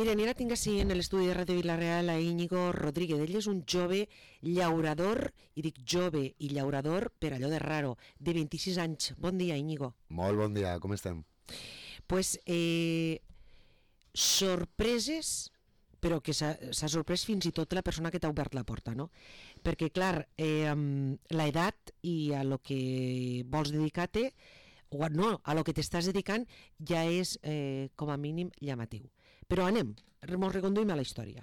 Mira, ara tinc així en l'estudi de Ràdio Vila-real a Íñigo Rodríguez. Ell és un jove llaurador, i dic jove i llaurador per allò de raro, de 26 anys. Bon dia, Íñigo. Molt bon dia, com estem? Pues, sorpreses, però que s'ha sorprès fins i tot la persona que t'ha obert la porta, no? Perquè, clar, l'edat i a lo que vols dedicar-te, o no, a lo que t'estàs dedicant ja és com a mínim llamatiu. Però anem, ens reconduïm a la història.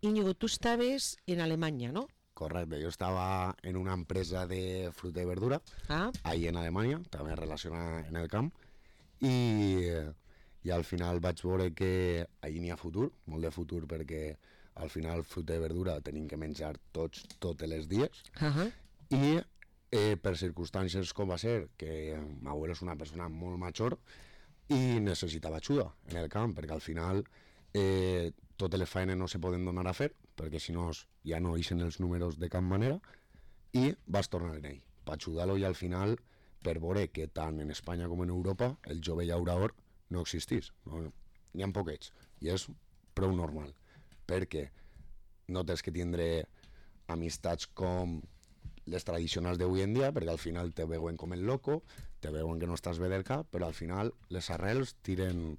Íñigo, tu estaves en Alemanya, no? Correcte, jo estava en una empresa de fruita i verdura, ahí en Alemanya, també relacionada en el camp, i al final vaig veure que allí n'hi ha futur, molt de futur, perquè al final fruita i verdura tenim que menjar tots els dies, i per circumstàncies com va ser que ma abuelo és una persona molt major i necessitava ajuda en el camp, perquè al final totes les feines no se poden donar a fer, perquè si no ja no ixen els números de cap manera, i vas tornar en ell per ajudar-lo, i al final per veure que tant en Espanya com en Europa el jove llaurador no existís, n'hi ha poquets, i és prou normal, perquè no tens que tindre amistats com les tradicionals d'avui en dia, perquè al final te veuen com el loco, te veuen que no estàs bé del cap, però al final les arrels tiren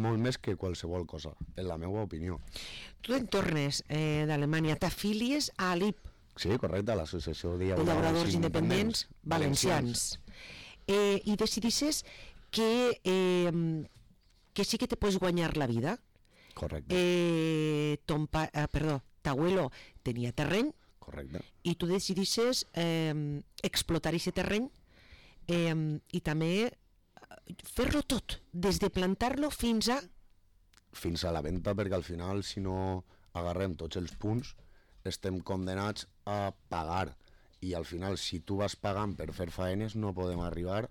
molt més que qualsevol cosa, en la meva opinió. Tu te'n tornes d'Alemanya, t'afilies a l'IP. Sí, correcte, a l'Associació de Llauradors Independents Valencians. I decidisses que sí que te pots guanyar la vida. Correcte. T'abuelo tenia terreny. Correcte. I tu decidisses explotar aquest terreny i també fer-lo tot, des de plantar-lo fins a... Fins a la venda, perquè al final, si no agarrem tots els punts, estem condenats a pagar. I al final, si tu vas pagant per fer faenes, no podem arribar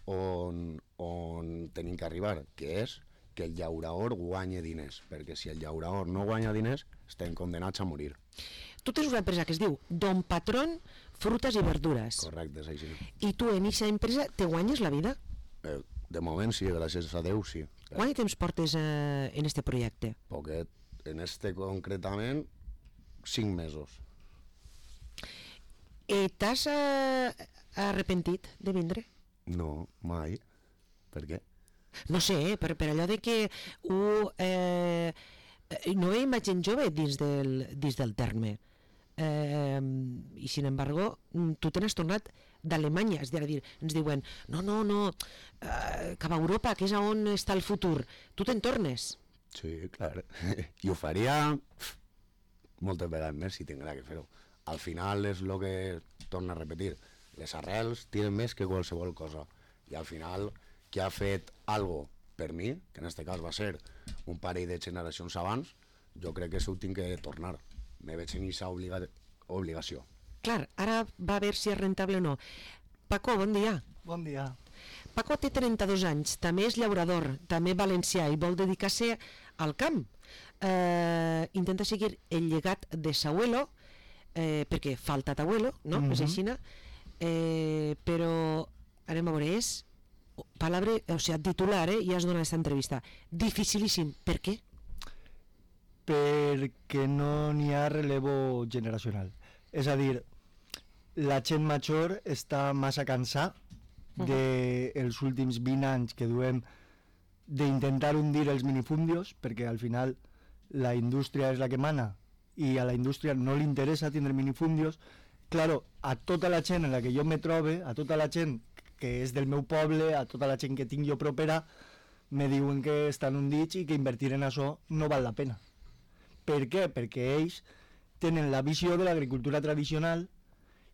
on tenim que arribar, que és que el llaurador guanya diners, perquè si el llaurador no guanya diners, estem condenats a morir. Tu tens una empresa que es diu Don Patrón Frutas i Verdures. Correcte, és així. I tu en aquesta empresa te guanyes la vida? De moment sí, gràcies a Déu sí. Quant de temps portes en este projecte? Poquet, en este concretament 5 mesos. T'has arrepentit de vindre? No, mai. Per què? No sé, per allò de que no veiem gent jove dins del terme. I sin embargo tu te n'has tornat d'Alemanya, és a dir, ens diuen no, cap a Europa, que és on està el futur, tu te'n tornes. Sí, clar, i ho faria moltes vegades més si tinguera que fer-ho. Al final és el que torna a repetir, les arrels tiren més que qualsevol cosa, i al final qui ha fet algo per mi, que en aquest cas va ser un parell de generacions abans, jo crec que això ho tinc que tornar. Me veig en aquesta obligació. Clar, ara va a veure si és rentable o no. Paco, bon dia. Bon dia. Paco té 32 anys, també és llaurador, també valencià i vol dedicar-se al camp. Intenta seguir el llegat de s'abuelo, perquè falta t'abuelo, no? És així, però anem a veure, és palabra, o sigui, titular, i has donat aquesta entrevista. Dificilíssim. Per què? Perquè no n'hi ha relevo generacional. És a dir, la gent major està massa cansada dels últims 20 anys que duem d'intentar hundir els minifundios, perquè al final la indústria és la que mana i a la indústria no li interessa tindre minifundios. Claro, a tota la gent en la que jo me trobe, a tota la gent que és del meu poble, a tota la gent que tinc jo propera, me diuen que estan hundits i que invertir en això no val la pena. Per què? Perquè ells tenen la visió de l'agricultura tradicional,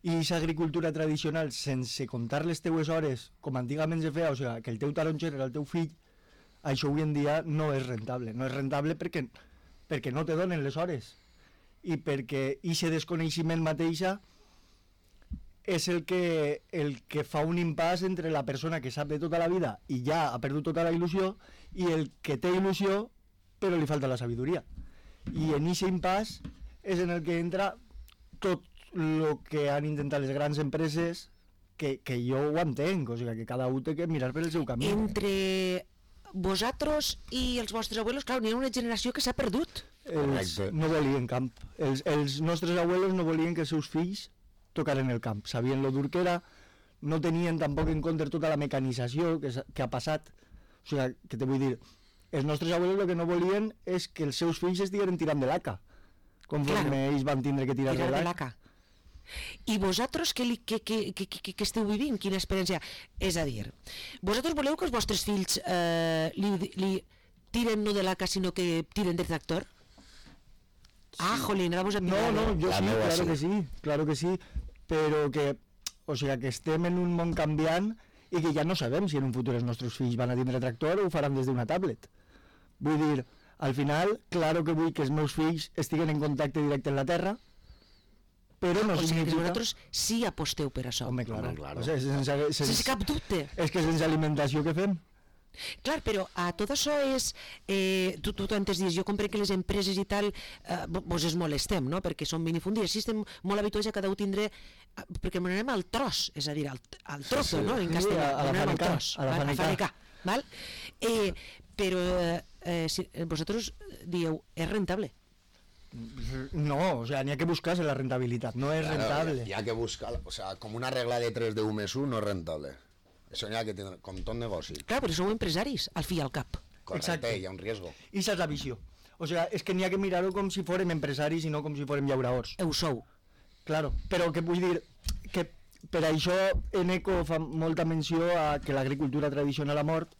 i aquesta agricultura tradicional, sense comptar les teues hores, com antigament se feia, o sigui, que el teu taronger era el teu fill, això avui en dia no és rentable. No és rentable perquè no te donen les hores, i perquè aquest desconeixement mateixa és el que fa un impàs entre la persona que sap de tota la vida i ja ha perdut tota la il·lusió, i el que té il·lusió però li falta la sabidoria. I en aquest impàs és en el que entra tot el que han intentat les grans empreses, que jo ho entenc, o sigui, que cada un té que mirar per el seu camí. Entre vosaltres i els vostres abuelos, clar, n'hi ha una generació que s'ha perdut. No volien camp. Els nostres abuelos no volien que els seus fills tocaren el camp. Sabien lo dur que era, no tenien tampoc en compte tota la mecanització que ha passat. O sigui, que te vull dir, els nostres abuelos el que no volien és que els seus fills estigueren tirant de l'ACA, conforme ells van tindre que tirar de l'ACA. I vosaltres què esteu vivint? Quina experiència? És a dir, vosaltres voleu que els vostres fills li tiren no de l'ACA, sinó que tiren del tractor? Ah, jolín, ara vos he pillat. No, jo sí, claro que sí, però que, o sigui, que estem en un món canviant i que ja no sabem si en un futur els nostres fills van a tindre tractor o ho faran des d'una tablet. Vull dir, al final, claro que vull que els meus fills estiguen en contacte directe amb la terra, però no significa... O sigui, que vosaltres sí aposteu per això. Home, claro. claro. O sigui, sense cap dubte. És que sense alimentació què fem? Clar, però a tot això és... tu antes dius, jo comprenc que les empreses i tal vos es molestem, no? Perquè són minifundis. Així estem molt habituats a cada un tindre... Perquè anem al tros, és a dir, al trozo, no? En castellà, anem al tros, a fanecar. Val? Però vosaltres dieu, és rentable? No, o sea, n'hi ha que buscar-se la rentabilitat, no és rentable. Hi ha que buscar, o sea, com una regla de 3 de 1 més 1 no és rentable. Això n'hi ha que tindre, com tot negoci. Clar, però sou empresaris, al fi i al cap. Correcte, hi ha un riesgo. I això és la visió. O sea, és que n'hi ha que mirar-ho com si fórem empresaris i no com si fórem llauradors. Ho sou. Claro, però que vull dir que per això Eneco fa molta menció a que l'agricultura tradicional ha mort,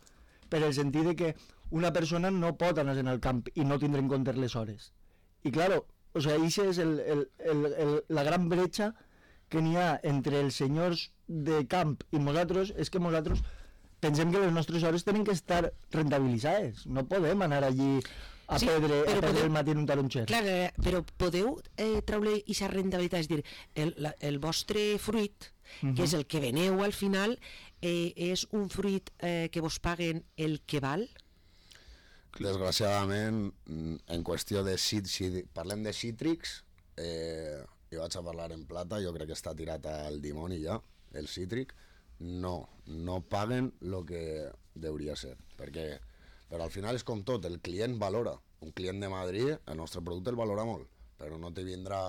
per el sentit de que una persona no pot anar en el camp i no tindre en compte les hores. I claro, o sea, això és la gran bretxa que n'hi ha entre els senyors de camp i nosaltres, és que nosaltres pensem que les nostres hores tenen que estar rentabilitzades. No podem anar allí a perdre el matí en un taronxer. Clar, però podeu treure aquesta rentabilitat, és dir, el vostre fruit, que és el que veneu al final, és un fruit que vos paguen el que val? Desgraciadament, en qüestió de si parlem de cítrics, jo vaig a parlar en plata, jo crec que està tirat al dimoni ja, el cítric, no paguen el que hauria ser, però al final és com tot, el client valora, un client de Madrid, el nostre producte el valora molt, però no te vindrà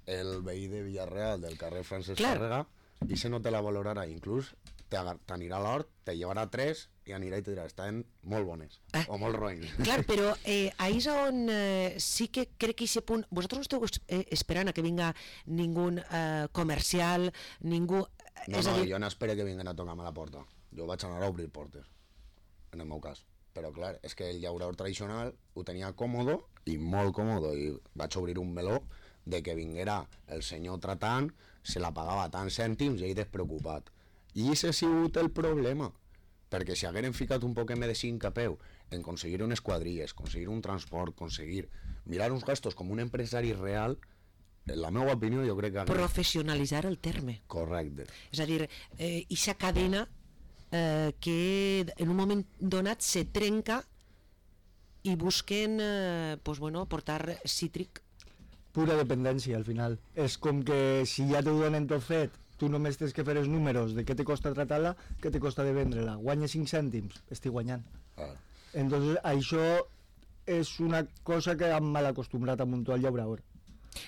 el veí de Villarreal del carrer Francesc Tàrrega i se no te la valorarà, inclús t'anirà a l'hort, te llevarà 3 i anirà i te dirà, estan molt bones o molt roïns. Clar, però ahí és on sí que crec que aquest punt, vosaltres esteu esperant a que vinga ningú comercial, ningú... No, jo no espero que vinguen a tocar-me a la porta, jo vaig anar a obrir portes, en el meu cas, però clar, és que el llaurador tradicional ho tenia còmodo i molt còmodo, i vaig obrir un meló de que vinguera el senyor tratant, se la pagava tants cèntims i ell despreocupat. I ese ha sigut el problema, perquè si hagueren ficat un poc de sincapeu en aconseguir unes quadrilles, aconseguir un transport, aconseguir mirar uns gastos com un empresari real, en la meva opinió jo crec que... Professionalitzar el terme. Correcte. És a dir, ixa cadena que en un moment donat se trenca i busquen portar cítric. Pura dependència al final. És com que si ja t'ho donen tot fet, tu només tens que fer els números de què te costa tratar-la, què te costa de vendre-la. Guanyes 5 cèntims, estic guanyant. Entonces això és una cosa que han mal acostumbrat a muntar el llaurador.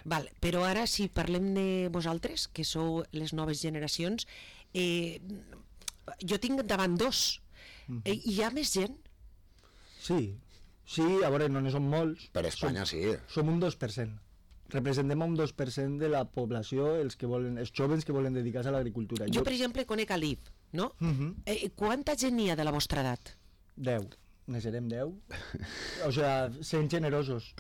Val, però ara si parlem de vosaltres, que sou les noves generacions, jo tinc davant 2. Hi ha més gent? Sí, a veure, no ne som molts. Per Espanya sí. Som un 2%. Representem un 2% de la població, els joves que volen dedicar-se a l'agricultura. Jo, per exemple, conec a l'IF, no? Quanta gent n'hi ha de la vostra edat? 10. Ne serem 10? O sigui, sent generosos.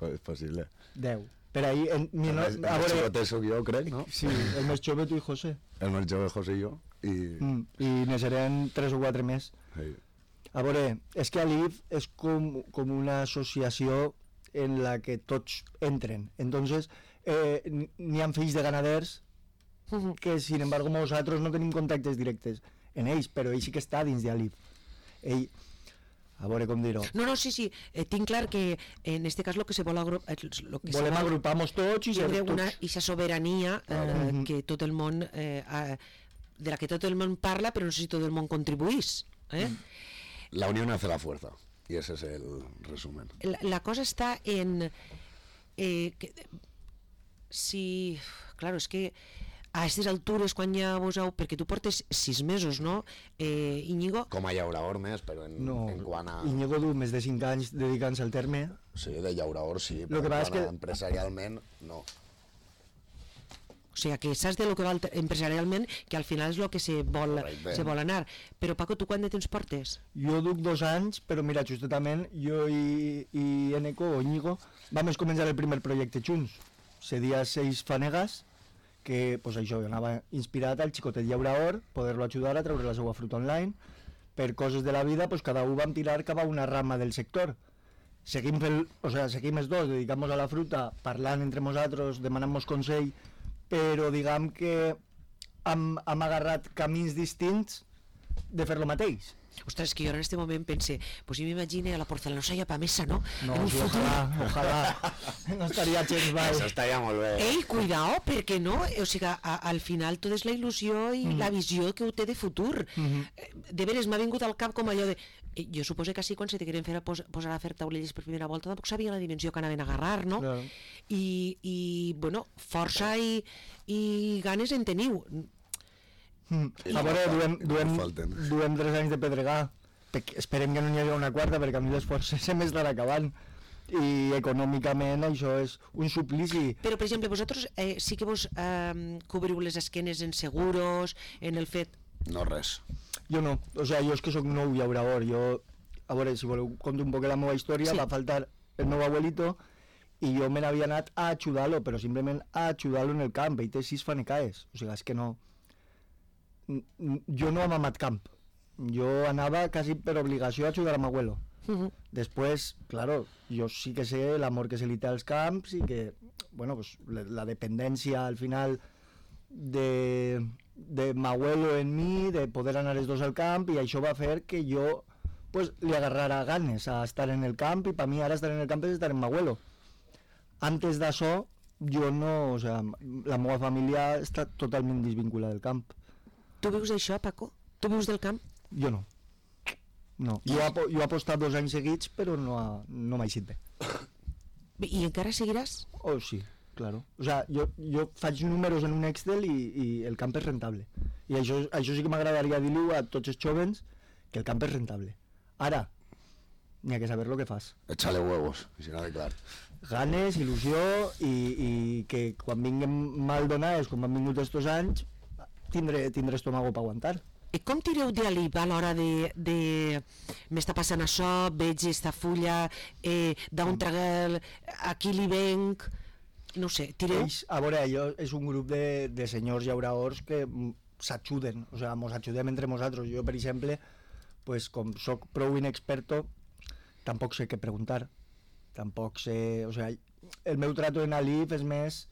És possible. 10. Per ahí... El més jove soc jo, crec, no? Sí, el més jove tu i José. El més jove José i jo. I ne serem 3 o 4 més. Sí. A veure, és que l'IF és com una associació en la que tots entren. Entonces, n'hi ha fills de ganaders que, sin embargo, nosaltres no tenim contactes directes en ells, però ell sí que està dins de l'IF. Ell... A veure com dir-ho. No, sí, tinc clar que en este cas lo que se vol volem agrupar-nos tots i ser tots. Ixa sobirania que tot el món de la que tot el món parla, però no sé si tot el món contribuís. La unión hace la fuerza, y ese es el resumen. La cosa está en... si... Claro, és que a aquestes altures, quan ja vos heu... Perquè tu portes 6 mesos, no, Íñigo? Com a llaurador més, però en quant a... Íñigo du més de 5 anys dedicant-se al terme. Sí, de llaurador sí, Lo però que passa és que... empresarialment no. O sigui, que saps de lo que val empresarialment, que al final és el que se vol anar. Però, Paco, tu quant de temps portes? Jo duc 2 anys, però mira, justament jo i Eneco, o Íñigo, vam començar el primer projecte junts. Seria 6 fanegas, que pues això, jo anava inspirat al xicotet llaurador, poder-lo ajudar a treure la seva fruita online. Per coses de la vida, pues cada un vam tirar cap a una rama del sector. Seguim els dos, dedicant-nos a la fruita, parlant entre nosaltres, demanant-nos consell, però diguem que hem agarrat camins distints de fer lo mateix. Ostres, que jo en aquest moment pense, pues jo m'imagine a la porcelanosa japonesa, no? No, en un sí, futur... ojalà. No estaria gens mal. Això estaria molt bé. Ei, cuidao, perquè no? O sigui, al final tot és la il·lusió i la visió que ho té de futur. De veres, m'ha vingut al cap com allò de... Jo suposo que així quan se te queren posar a fer taulelles per primera volta tampoc sabia la dimensió que anaven a agarrar, no? Claro. I bueno, força i ganes en teniu. A veure, duem 3 anys de pedregar. Esperem que no n'hi hagi una quarta, perquè a mi l'esforç se m'estarà acabant. I econòmicament això és un suplici. Però, per exemple, vosaltres sí que vos cobriu les esquenes en seguros, en el fet... No res. Jo no, o sigui, jo és que sóc nou llaurador. Jo, a veure, si voleu conto un poc la meva història, sí. Va faltar el meu abuelito i jo me n'havia anat a ajudar-lo, però simplement a ajudar-lo en el camp. Ell té 6 fanecaes, o sigui, és que no... Jo no hem amat camp. Jo anava quasi per obligació a ajudar a mi abuelo. Després, claro, jo sí que sé l'amor que se li té als camps i que, bueno, pues, la dependència al final de mi abuelo en mi, de poder anar els dos al camp, i això va fer que jo pues, li agarrara ganes a estar en el camp, i per mi ara estar en el camp és estar en mi abuelo. Antes d'això, jo no, o sea, la meva família està totalment desvinculada del camp. Tu vius d'això, Paco? Tu vius del camp? Jo no. No. Jo he apostat 2 anys seguits, però no m'ha eixit bé. I encara seguiràs? Oh, sí, claro. O sea, jo faig números en un Excel i el camp és rentable. I això sí que m'agradaria dir-ho a tots els jóvens, que el camp és rentable. Ara, n'hi ha que saber lo que fas. Échale huevos, si no de clar. Ganes, il·lusió, i que quan vinguem mal donades, com han vingut estos anys, tindré estómago per aguantar. I com tireu d'alip a l'hora de m'està passant això, veig esta fulla, d'on tragueu, aquí li venc, no sé, tireu? A veure, és un grup de senyors llauradors que s'ajuden, o sigui, mos ajudem entre nosaltres. Jo, per exemple, pues, com soc prou inexperto, tampoc sé què preguntar, tampoc sé, o sigui, el meu trato en Alif és més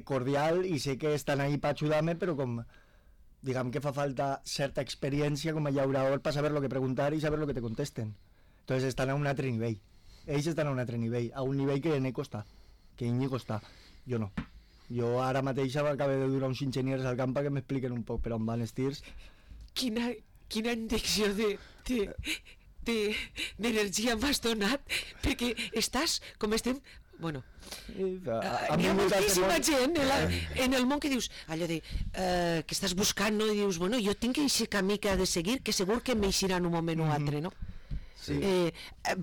cordial i sé que estan ahí per ajudar-me, però com diguem que fa falta certa experiència com a llaurador per saber lo que preguntar i saber lo que te contesten. Entonces estan a un altre nivell. Ells estan a un altre nivell, a un nivell que Eneco està, que Íñigo està. Jo no. Jo ara mateix acabo de durar uns enginyers al camp que m'expliquen un poc per on van els tirs. Quina injecció d'energia m'has donat, perquè estàs, com estem... Bueno, hi ha moltíssima gent en el món que dius allò de que estàs buscant, no? I dius, bueno, jo tinc aquest camí que he de seguir, que segur que m'eixirà en un moment o altre, no? Sí.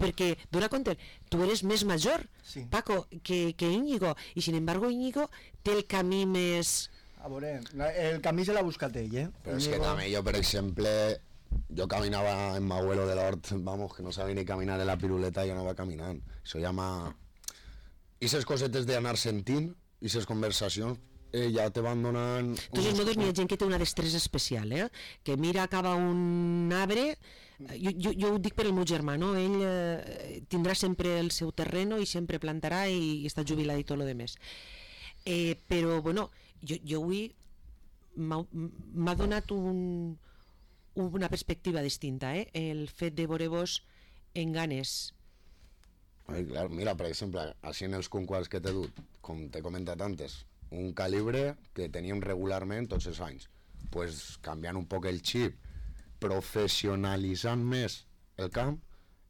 Perquè, dona compte, tu eres més major, sí. Paco, que Íñigo, i sin embargo Íñigo té el camí més... A veure, el camí se l'ha buscat ell, Però és que també jo, per exemple, jo caminava en mi abuelo de l'hort, vamos, que no sabia ni caminar en la piruleta, jo anava caminant. Això ja m'ha... I les cosetes d'anar sentint, i les conversacions, ja te van donant... Tots modos n'hi ha gent que té una destresa especial, que mira cap a un arbre, jo ho dic per el meu germà, no? Ell tindrà sempre el seu terreno i sempre plantarà i està jubilat i tot lo demés. Però, bueno, jo avui m'ha donat una perspectiva distinta, el fet de veure-vos en ganes. Ai, clar, mira, per exemple, així en els conquars que t'he dut, com t'he comentat antes, un calibre que teníem regularment tots els anys, pues canviant un poc el xip professionalitzant més el camp,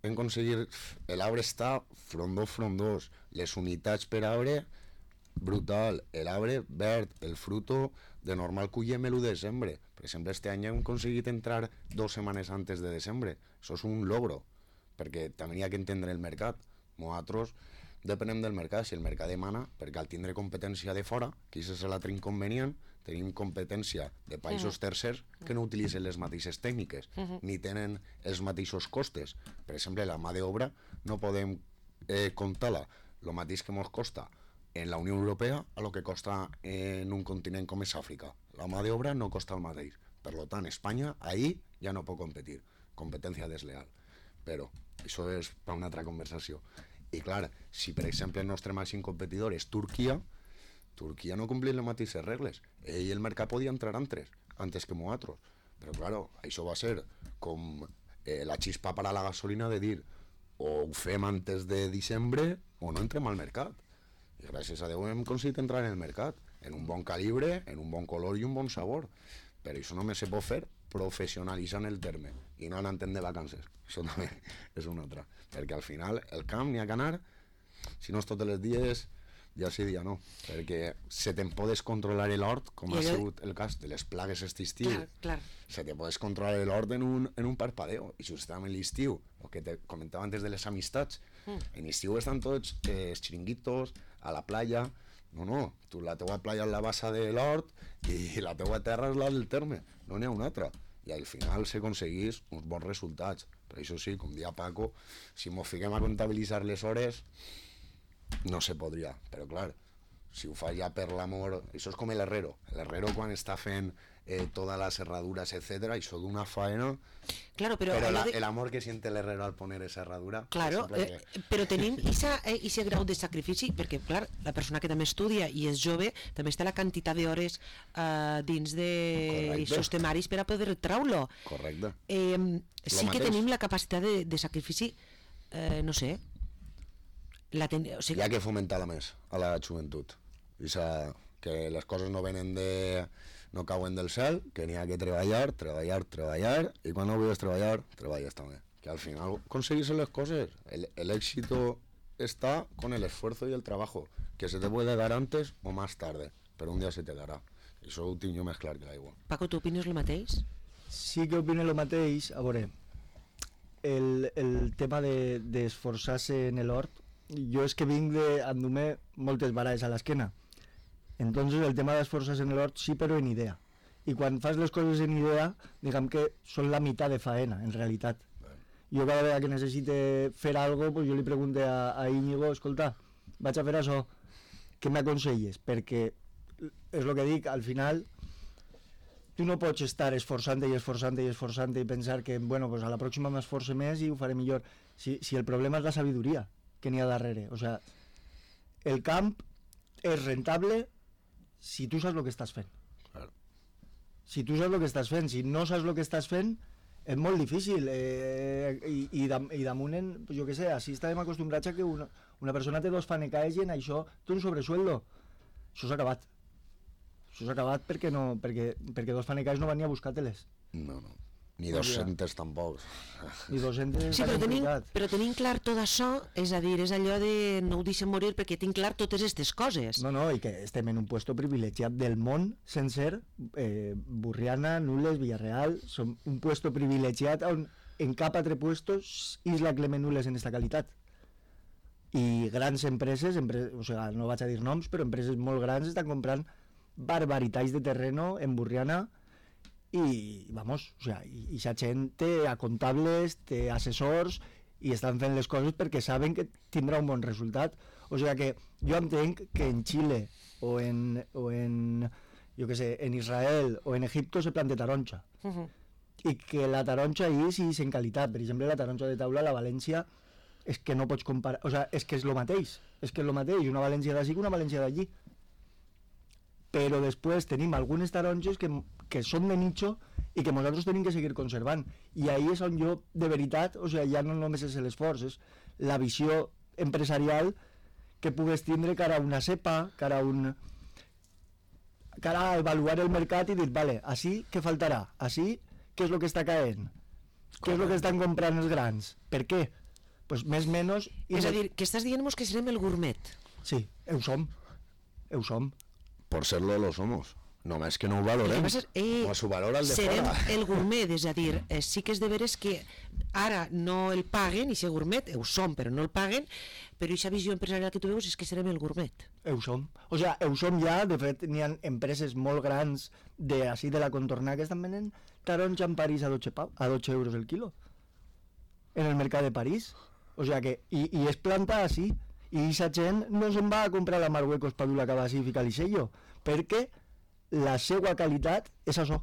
hem aconseguit... L'arbre està frondós, les unitats per arbre, brutal, l'arbre verd, el fruto, de normal collem l'1 de desembre. Per exemple, este any hem aconseguit entrar 2 setmanes antes de desembre. Això és un logro, perquè també hi ha que entendre el mercat. Nosaltres depenem del mercat, si el mercat demana, perquè al tindre competència de fora, que això és l'altre inconvenient, tenim competència de països tercers que no utilitzen les mateixes tècniques, ni tenen els mateixos costes. Per exemple, la mà d'obra no podem comptar-la el mateix que ens costa en la Unió Europea a lo que costa en un continent com és Àfrica. La mà d'obra no costa el mateix. Per tant, Espanya ahí ja no pot competir. Competència desleal. Però això és per una altra conversació. I clar, si per exemple el nostre màxim competidor és Turquia no compleix les mateixes regles. Ell el mercat podia entrar antes que nosaltres. Però clar, això va ser com la xispa per a la gasolina de dir o ho fem antes de desembre o no entrem al mercat. I gràcies a Déu hem aconseguit entrar en el mercat, en un bon calibre, en un bon color i un bon sabor. Però això només se pot fer professionalitzant el terme i no anant de vacances. Això també és una altra. Perquè al final el camp n'hi ha que anar, si no és tots els dies, ja sí, dia no. Perquè se te'n podes controlar l'hort, com ha sigut el cas de les plagues aquest estiu. Clar. Se te podes controlar l'hort en un parpadeo. I justament l'estiu, el que te comentava antes de les amistats, en l'estiu estan tots els xiringuitos, a la playa. No, tu la teua playa és la bassa de l'hort i la teua terra és la del terme, no n'hi ha una altra. I al final s'aconseguís uns bons resultats. Per això sí, com dia Paco, si mos fiquem a comptabilitzar les hores, no se podria. Però clar, si ho fas ja per l'amor... Això és com l'herrero. L'herrero quan està fent todas las herraduras, etcétera, això d'una faena... Claro, pero el amor que siente el herrero al poner esa herradura... Claro, però tenim ese grau de sacrifici, perquè, clar, la persona que també estudia i és jove, també està la quantitat d'hores dins d'aquests temaris per a poder treure-lo. Correcte. Sí que tenim la capacitat de sacrifici, no sé... O sigui... Hi ha que fomentar-la més a la joventut. Que les coses no venen no cauen del cel, que n'hi ha que treballar, i quan no vulguis treballar, treballes també. Que al final aconseguís les coses. El éxito está con el esfuerzo y el trabajo, que se te puede dar antes o más tarde, però un dia se te darà. Això ho tinc jo més clar que l'aigua. Paco, tu opines el mateix? Sí que opino el mateix. A veure, el tema d'esforçar-se en l'hort, jo és que vinc d'endur-me moltes baralles a l'esquena. Entonces el tema d'esforçar-se en l'hort sí, però en idea. I quan fas les coses en idea, diguem que són la meitat de faena, en realitat. Jo cada vegada que necessite fer alguna cosa, pues jo li pregunto a Íñigo, escolta, vaig a fer això, què m'aconselles? Perquè és el que dic, al final tu no pots estar esforçant-te i pensar que bueno, pues a la pròxima m'esforce més i ho faré millor. Si el problema és la sabidoria que n'hi ha darrere. O sea, el camp és rentable si tu saps el que estàs fent. Claro. Si tu saps el que estàs fent, si no saps el que estàs fent, és molt difícil. I damunt, jo què sé, així estàvem acostumbrats a que una persona té 2 fanecaes i en això té un sobresueldo. Això s'ha acabat. Això s'ha acabat perquè 2 fanecaes no van ni a buscar-te-les. No. Ni 200 tampoc. Ni 200... Sí, però tenim clar tot això, és a dir, és allò de no ho deixem morir perquè tinc clar totes aquestes coses. No, i que estem en un puesto privilegiat del món sencer, Burriana, Nules, Villarreal, som un puesto privilegiat on en cap altre puesto Isla Clement Nules en esta qualitat. I grans empreses, o sigui, no vaig a dir noms, però empreses molt grans estan comprant barbaritats de terreno en Burriana i, vamos, o sea, i esa gent té a comptables, té assessors i estan fent les coses perquè saben que tindrà un bon resultat. O sigui que jo entenc que en Xile o en jo què sé, en Israel o en Egipto se planta taronja. I que la taronja és en qualitat. Per exemple, la taronja de taula a la València és que no pots comparar, o sigui, és que és el mateix. És que és el mateix, una València d'ací que una València d'allí. Però després tenim algunes taronges que són de nicho i que nosaltres tenim que seguir conservant. I ahí és on jo, de veritat, o sigui, ja no només és l'esforç, és la visió empresarial que pugues tindre cara a una cepa, cara a avaluar el mercat i dir, vale, així què faltarà? Així què és el que està caent? Què és el que estan comprant els grans? Per què? Pues més o menys... És a dir, que estàs dient-nos que serem el gourmet. Sí, ho som. Ho som. Por serlo lo somos. Només que no ho valorem. No s'ho valora el de serem fora. el gourmet, és a dir, sí que és de veres que ara no el paguen, i ser gourmet, ho som, però no el paguen, però aquesta visió empresarial que tu veus és que serem el gourmet. Ho som. O sigui, ho som ja, de fet, n'hi ha empreses molt grans de la contornada que estan venent taronja en París a 12 euros el quilo. En el mercat de París. O sigui que, i es planta així, i aquesta gent no se'n va a comprar la Marruecos per dur-la cap així i ficar-li sello, perquè la seva qualitat és això.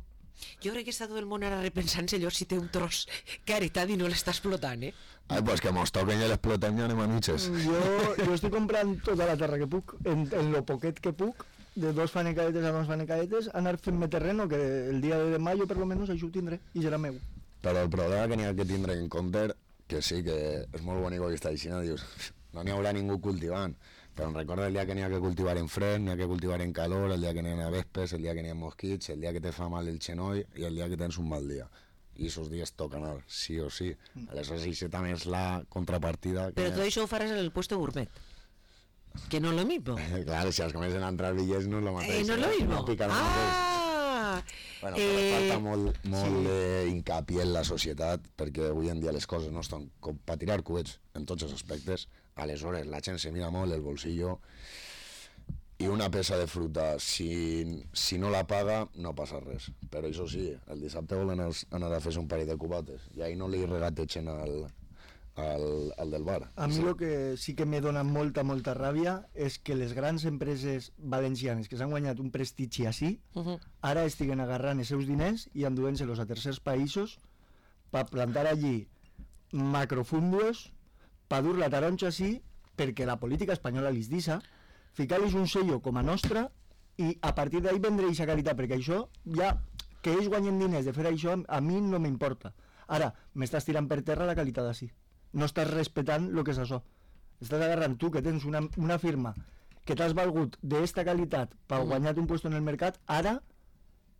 Jo crec que està tot el món ara repensant-se allò si té un tros que ha heretat i no l'està explotant, Ai, pues que mos toquen i l'explotem i anem a mitges. Jo estic comprant tota la terra que puc, en lo poquet que puc, de 2 fanecadetes a 2 fanecadetes, anar fent-me terreno, que el dia de maio per lo menos això ho tindré, i serà meu. Però el problema que n'hi ha que tindre en compte, que sí, que és molt bonic que està així, dius, no n'hi haurà ningú cultivant, però em recorda el dia que n'hi ha que cultivar en fred, n'hi ha que cultivar en calor, el dia que n'hi ha vespes, el dia que n'hi ha mosquits, el dia que te fa mal el xenoll i el dia que tens un mal dia. I aquests dies toca anar, sí o sí. Aleshores, això també és la contrapartida. Però tot això ho faràs en el puesto gourmet, que no és lo mismo. Claro, si els comencen a entrar bitllets no és lo mateix. No és lo mismo. No piquen el mateix. Bueno, però falta molt d'incapié en la societat, perquè avui en dia les coses no estan com per tirar coets en tots els aspectes. Aleshores, la gent se mira molt el bolsillo i una peça de fruta, si no la paga, no passa res. Però això sí, el dissabte volen anar a fer-se un parell de cubates i ahir no li regategen al del bar. A mi el que sí que me dona molta ràbia és que les grans empreses valencianes que s'han guanyat un prestigi així, ara estiguen agarrant els seus diners i enduent-se-los a tercers països per plantar allí macrofundios, per dur la taronja així, perquè la política espanyola li deixa, ficar-los un sello com a nostra i a partir d'ahí vendre aquesta qualitat, perquè això ja, que ells guanyen diners de fer això, a mi no m'importa. Ara, m'estàs tirant per terra la qualitat així. No estàs respectant el que és això. Estàs agarrant tu, que tens una firma que t'has valgut d'esta qualitat per guanyar un lloc en el mercat, ara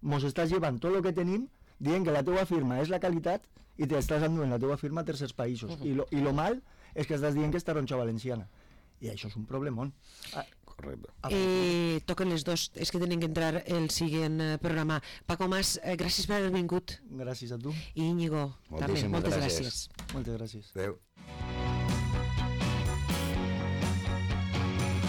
mos estàs llevant tot el que tenim dient que la teua firma és la qualitat i t'estàs enduent la teua firma a tercers països. I lo mal és que estàs dient que és taronja valenciana. I això és un problemón. Correcte. Toquen les dos, és que tenen que entrar el següent programa. Paco Mas, gràcies per haver vingut. Gràcies a tu. I Íñigo, també, moltes gràcies. gràcies. Moltes gràcies. Adéu.